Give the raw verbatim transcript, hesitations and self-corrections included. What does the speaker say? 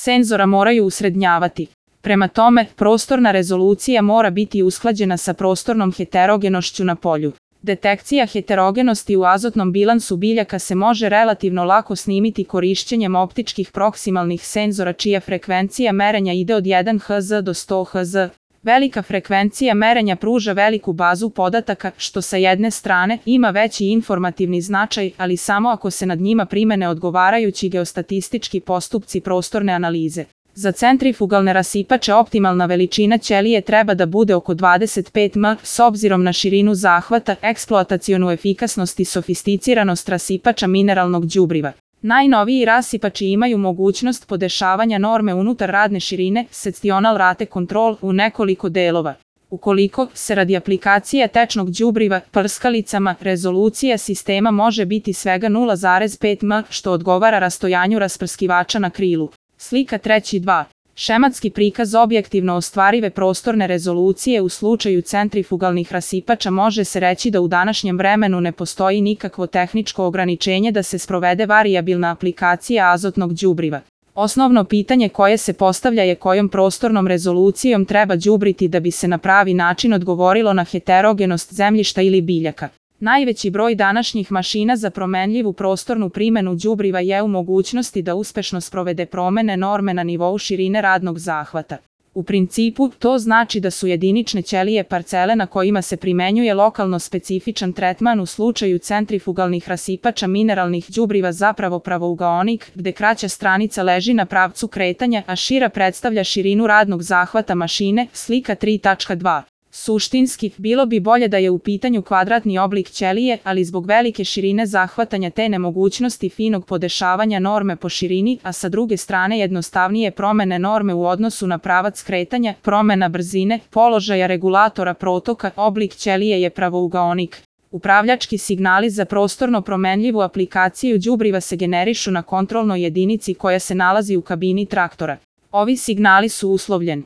senzora moraju usrednjavati. Prema tome, prostorna rezolucija mora biti usklađena sa prostornom heterogenošću na polju. Detekcija heterogenosti u azotnom bilansu biljaka se može relativno lako snimiti korišćenjem optičkih proksimalnih senzora čija frekvencija merenja ide od jedan herc do sto herc. Velika frekvencija merenja pruža veliku bazu podataka, što sa jedne strane ima veći informativni značaj, ali samo ako se nad njima primene odgovarajući geostatistički postupci prostorne analize. Za centrifugalne rasipače optimalna veličina ćelije treba da bude oko dvadeset pet metara s obzirom na širinu zahvata, eksploatacionu efikasnost i sofisticiranost rasipača mineralnog đubriva. Najnoviji rasipači imaju mogućnost podešavanja norme unutar radne širine, sectional rate control, u nekoliko delova. Ukoliko se radi aplikacije tečnog đubriva prskalicama, rezolucija sistema može biti svega nula zarez pet metara, što odgovara rastojanju rasprskivača na krilu. Slika treći dva. Šematski prikaz objektivno ostvarive prostorne rezolucije u slučaju centrifugalnih rasipača može se reći da u današnjem vremenu ne postoji nikakvo tehničko ograničenje da se sprovede varijabilna aplikacija azotnog đubriva. Osnovno pitanje koje se postavlja je kojom prostornom rezolucijom treba đubriti da bi se na pravi način odgovorilo na heterogenost zemljišta ili biljaka. Najveći broj današnjih mašina za promenljivu prostornu primenu đubriva je u mogućnosti da uspešno sprovede promene norme na nivou širine radnog zahvata. U principu, to znači da su jedinične ćelije parcele na kojima se primenjuje lokalno specifičan tretman u slučaju centrifugalnih rasipača mineralnih đubriva zapravo pravougaonik, gde kraća stranica leži na pravcu kretanja, a šira predstavlja širinu radnog zahvata mašine, slika tri tačka dva. Suštinski, bilo bi bolje da je u pitanju kvadratni oblik ćelije, ali zbog velike širine zahvatanja te nemogućnosti finog podešavanja norme po širini, a sa druge strane jednostavnije promene norme u odnosu na pravac kretanja, promena brzine, položaja regulatora protoka, oblik ćelije je pravougaonik. Upravljački signali za prostorno promenljivu aplikaciju đubriva se generišu na kontrolnoj jedinici koja se nalazi u kabini traktora. Ovi signali su uslovljen